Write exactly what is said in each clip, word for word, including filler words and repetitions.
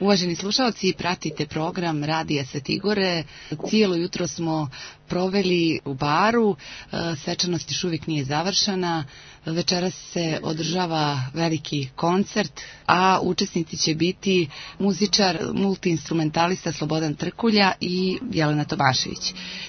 Uvaženi slušalci, pratite program Radija Svete Gore. Cijelo jutro smo proveli u baru, svečanost još uvijek nije završena. Večeras se održava veliki koncert, a učesnici će biti muzičar, multiinstrumentalista Slobodan Trkulja i Jelena Tomašević.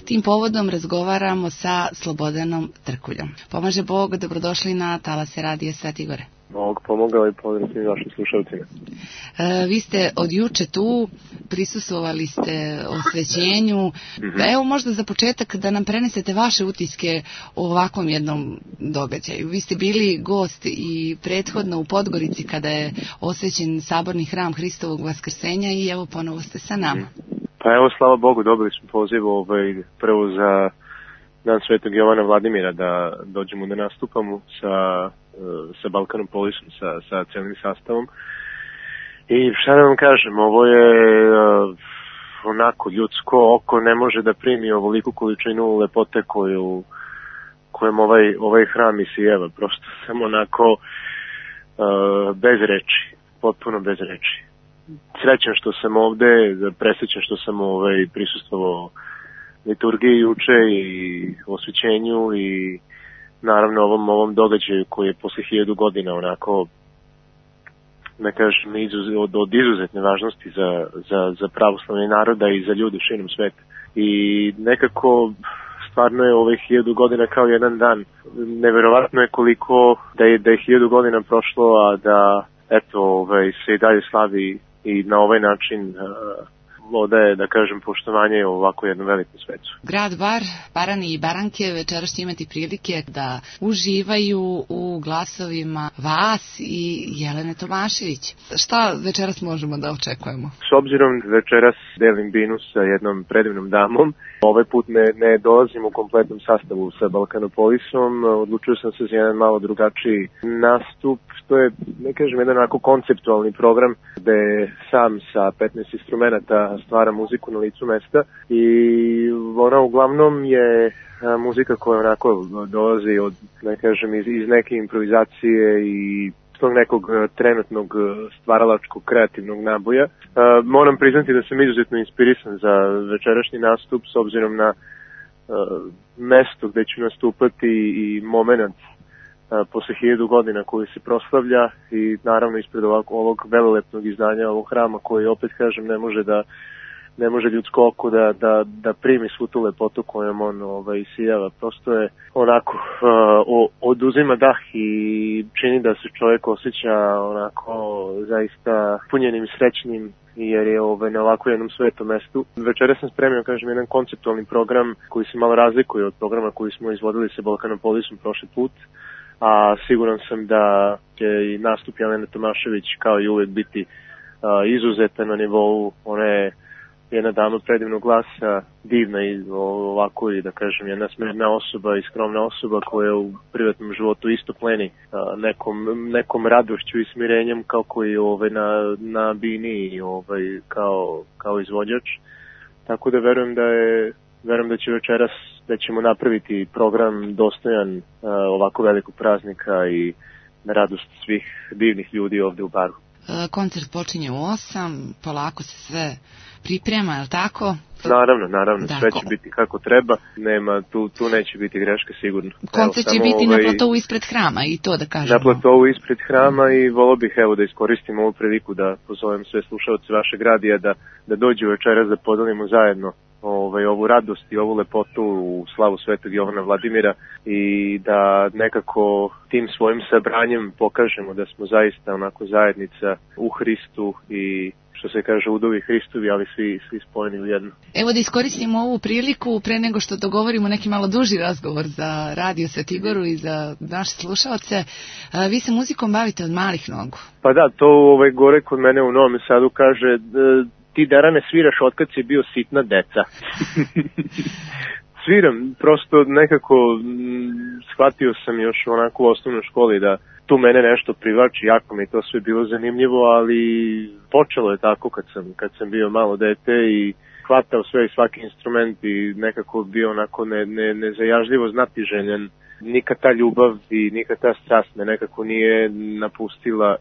Tim povodom razgovaramo sa Slobodanom Trkuljom. Pomaže Bog, dobrodošli na talase Radija Svete Gore. Bog pomogao i pozdrav svim vašim slušalcima. E, vi ste od juče tu, prisustvovali ste osvećenju. Mm-hmm. Evo možda za početak da nam prenesete vaše utiske o ovakvom jednom događaju. Vi ste bili gost i prethodno u Podgorici kada je osvećen saborni hram Hristovog vaskrsenja i evo ponovo ste sa nama. Pa evo, slava Bogu, dobili smo poziv ovaj, prvo za Dan Svetog Jovana Vladimira da dođemo da nastupamo sa, sa Balkanom Polisom, sa, sa celim sastavom. I šta da vam kažem, ovo je uh, onako ljudsko oko ne može da primi ovoliku količinu lepote koju, kojem ovaj, ovaj hram isijeva. Prosto sam onako uh, bez reči, potpuno bez reči. Srećan što sam ovde, presrećan što sam ovaj, prisustvovao liturgiji juče i osvećenju i naravno ovom, ovom događaju koji je posle hiljadu godina onako, da kažem, izuz, od, od izuzetne važnosti za, za, za pravoslavne naroda i za ljude širom sveta. I nekako stvarno je ovih hiljadu godina kao jedan dan. Neverovatno je koliko da je, da je hiljadu godina prošlo, a da eto, ovaj, se i dalje slavi i na ovaj način uh, odaje, da kažem, poštovanje u ovako jednom velikom svetu. Grad Bar, Barani i Baranke večeras će imati prilike da uživaju u glasovima vas i Jelene Tomašević. Šta večeras možemo da očekujemo? S obzirom da večeras delim binu sa jednom predivnom damom, ovaj put ne, ne dolazim u kompletnom sastavu sa Balkanopolisom, odlučio sam se za jedan malo drugačiji nastup. To je, ne kažem, jedan onako konceptualni program gde sam sa petnaest instrumenta stvara muziku na licu mesta i ona uglavnom je muzika koja onako dolazi od, ne kažem, iz, iz neke improvizacije i tog nekog trenutnog stvaralačkog kreativnog naboja. Uh, moram priznati da sam izuzetno inspirisan za večerašnji nastup s obzirom na uh, mesto gde ću nastupati i moment uh, posle hiljadu godina koji se proslavlja i naravno ispred ovog, ovog velelepnog izdanja ovog hrama koji, opet kažem, ne može da ne može ljudsko oko da, da, da primi svu tu lepotu kojom on ovaj, sijava. Prosto je onako uh, oduzima dah i čini da se čovjek osjeća onako zaista punjenim, srećnim, jer je ovaj, na ovako jednom svetom mestu. Večera sam spremio, kažem, jedan konceptualni program koji se malo razlikuje od programa koji smo izvodili sa Balkanopolisom prošli put, a siguran sam da će i nastup Jelene Tomašević kao i uvijek biti uh, izuzetan na nivou one jedna dama predivnog glasa, divna i ovako i da kažem jedna smirna osoba i skromna osoba koja u privatnom životu isto pleni nekom, nekom radošću i smirenjem kako i ovaj, na, na bini i ovaj, kao, kao izvođač. Tako da verujem da je verujem da će večeras da ćemo napraviti program dostojan uh, ovako velikog praznika i na radost svih divnih ljudi ovde u baru. Koncert počinje u osam, polako se sve priprema, je li tako? Naravno, naravno, dakle, sve će biti kako treba, nema, tu, tu neće biti greške sigurno. Koncert će biti ovaj, na platovu ispred hrama i to da kažemo. Na platovu ispred hrama i volio bih evo da iskoristim ovu priliku da pozovem sve slušalce vašeg radija da, da dođu večeras da podelimo zajedno ovaj, ovu radost i ovu lepotu u slavu Svetog Jovana Vladimira i da nekako tim svojim sabranjem pokažemo da smo zaista onako zajednica u Hristu i što se kaže udovi Hristovi, ali svi, svi spojeni u jedno. Evo da iskoristimo ovu priliku pre nego što dogovorimo neki malo duži razgovor za Radio Svete Goru i za naše slušalce. Vi se muzikom bavite od malih nogu. Pa da, to ovaj, gore kod mene u Novom Sadu kaže ti Darane sviraš otkad si bio sitna deca. Sviram, prosto nekako m, shvatio sam još onako u osnovnoj školi da tu mene nešto privlači, jako mi to sve bilo zanimljivo, ali počelo je tako kad sam, kad sam bio malo dete i hvatao sve i svaki instrument i nekako bio onako ne, ne, nezajažljivo znatiželjen. Nikad ta ljubav i nikad ta strast me nekako nije napustila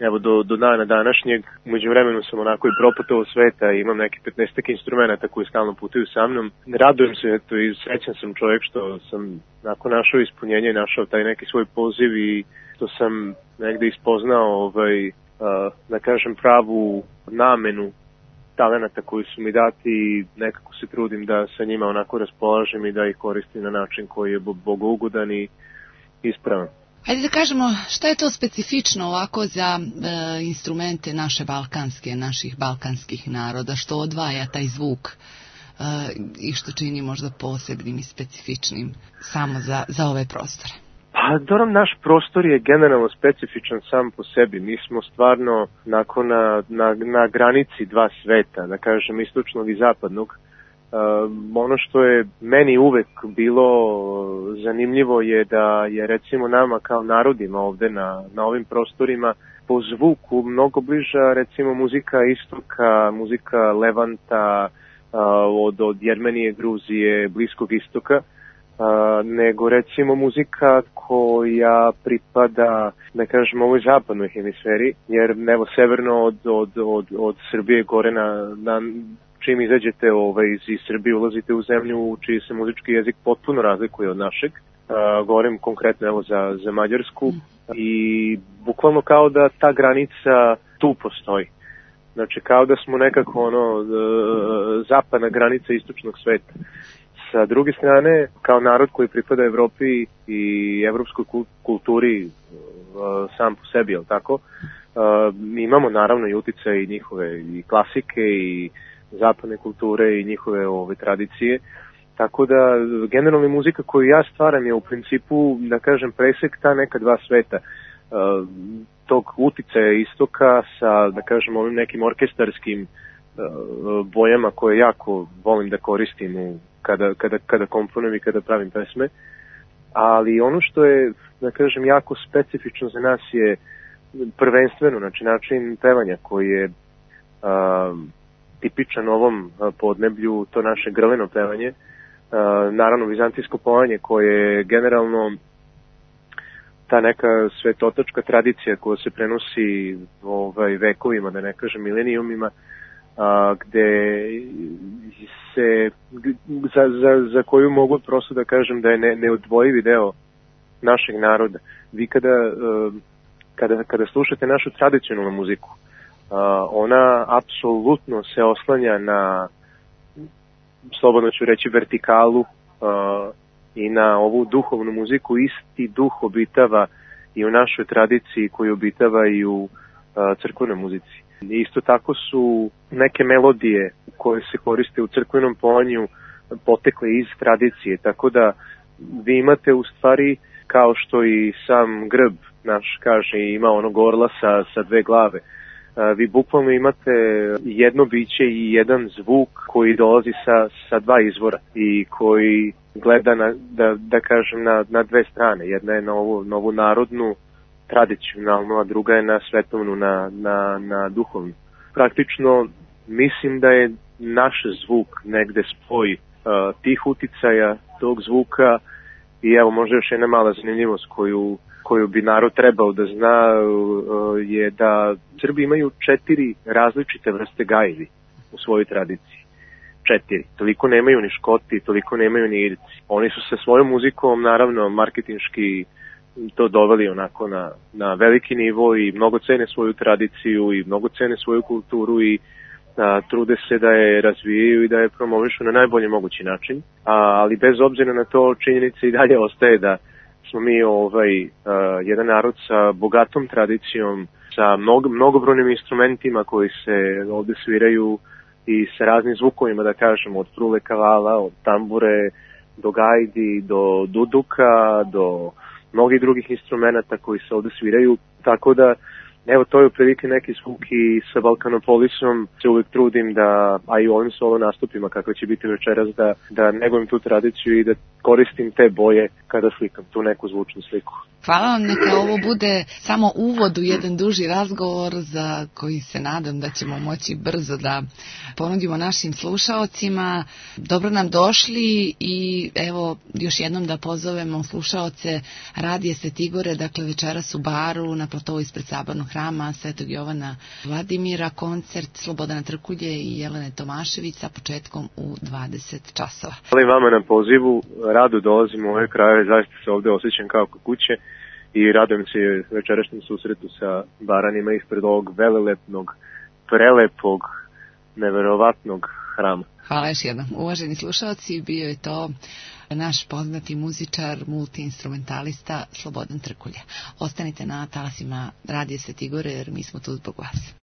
evo do, do dana današnjeg. Umeđu vremenu sam onako i proputao sveta i imam neki petnaestak instrumenta koji stalno putuju sa mnom. Radujem se, eto, i srećan sam čovjek što sam nakon našao ispunjenje, našao taj neki svoj poziv i što sam negde ispoznao ovaj, uh, da kažem pravu namenu talenata koji su mi dati i nekako se trudim da sa njima onako raspolažem i da ih koristim na način koji je bogougodan i ispravan. Hajde da kažemo šta je to specifično ovako za e, instrumente naše balkanske, naših balkanskih naroda, što odvaja taj zvuk e, i što čini možda posebnim i specifičnim samo za, za ove prostore. Pa, dobro, naš prostor je generalno specifičan sam po sebi. Mi smo stvarno nakon na, na, na granici dva sveta, da kažem istočnog i zapadnog. Uh, ono što je meni uvek bilo zanimljivo je da je recimo nama kao narodima ovde na, na ovim prostorima po zvuku mnogo bliža recimo muzika istoka, muzika Levanta, uh, od, od Jermenije, Gruzije, Bliskog istoka, uh, nego recimo muzika koja pripada, da kažem, ovoj zapadnoj hemisferi, jer evo severno od, od, od, od Srbije gore na, na čim izađete ovaj, iz, iz Srbije, ulazite u zemlju čiji se muzički jezik potpuno razlikuje od našeg. Uh, govorim konkretno evo za, za Mađarsku i bukvalno kao da ta granica tu postoji. Znači kao da smo nekako ono uh, zapadna granica istočnog sveta. Sa druge strane, kao narod koji pripada Evropi i evropskoj kulturi uh, sam po sebi, jel tako? Uh, mi imamo naravno i uticaj njihove i klasike i zapadne kulture i njihove ove tradicije. Tako da generalna muzika koju ja stvaram je u principu, da kažem, presek ta neka dva sveta. Uh, tog uticaja istoka sa, da kažem, ovim nekim orkestarskim uh, bojama koje jako volim da koristim u, kada, kada, kada komponujem i kada pravim pesme. Ali ono što je, da kažem, jako specifično za nas je prvenstveno, znači način pevanja koji je uh, tipičan ovom podneblju, to naše grleno pevanje, uh, naravno vizantijsko povanje koje je generalno ta neka svetotačka tradicija koja se prenosi ovaj, vekovima, da ne kažem milenijumima, a, gde se za, za, za koju mogu prosto da kažem da je ne, neodvojivi deo našeg naroda. Vi kada, kada, kada slušate našu tradicionalnu muziku, a, ona apsolutno se oslanja na, slobodno ću reći, vertikalu a, i na ovu duhovnu muziku. Isti duh obitava i u našoj tradiciji koji obitava i u a, crkvenoj muzici. Isto tako su neke melodije koje se koriste u crkvenom povanju potekle iz tradicije, tako da vi imate u stvari, kao što i sam grb naš kaže, ima onog orla sa, sa dve glave. Vi bukvalno imate jedno biće i jedan zvuk koji dolazi sa, sa dva izvora i koji gleda na, da, da kažem, na, na dve strane. Jedna je na ovu, na ovu narodnu, tradicionalnu, a druga je na svetovnu, na, na, na duhovnu. Praktično mislim da je naš zvuk negde spoj uh, tih uticaja, tog zvuka i evo možda još jedna mala zanimljivost koju, koju bi narod trebao da zna uh, je da Srbi imaju četiri različite vrste gajbi u svojoj tradiciji. Četiri. Toliko nemaju ni Škoti, toliko nemaju ni Irci. Oni su sa svojom muzikom, naravno, marketinški to doveli onako na, na veliki nivo i mnogo cene svoju tradiciju i mnogo cene svoju kulturu i a, trude se da je razvijaju i da je promovišu na najbolji mogući način. A, ali bez obzira na to, činjenica i dalje ostaje da smo mi ovaj, a, jedan narod sa bogatom tradicijom, sa mnogo, mnogobrojnim instrumentima koji se ovde sviraju i sa raznim zvukovima, da kažemo, od frule kavala, od tambure, do gajdi, do duduka, do mnogih drugih instrumenta koji se ovde sviraju, tako da evo to je otprilike neki zvuk i sa Balkanopolisom se uvijek trudim da, a i u ovim solo nastupima kakve će biti večeras, da, da negujem tu tradiciju i da koristim te boje kada slikam tu neku zvučnu sliku. Hvala vam, neka ovo bude samo uvod u jedan duži razgovor za koji se nadam da ćemo moći brzo da ponudimo našim slušaocima. Dobro nam došli i evo još jednom da pozovemo slušaoce Radija Svetogore, dakle večeras u baru na platovu ispred Sabornog hrama Svetog Jovana Vladimira, koncert Slobodana Trkulje i Jelene Tomašević sa početkom u dvadeset časova. Hvala vama na pozivu, rado dolazim u ove krajeve, zaista se ovde osjećam kao kod kuće i radujem se večerašnjem susretu sa Baranima ispred ovog velelepnog, prelepog, neverovatnog hrama. Hvala još jednom. Uvaženi slušalci, bio je to naš poznati muzičar, multiinstrumentalista Slobodan Trkulja. Ostanite na talasima Radija Svetih Gora jer mi smo tu zbog vas.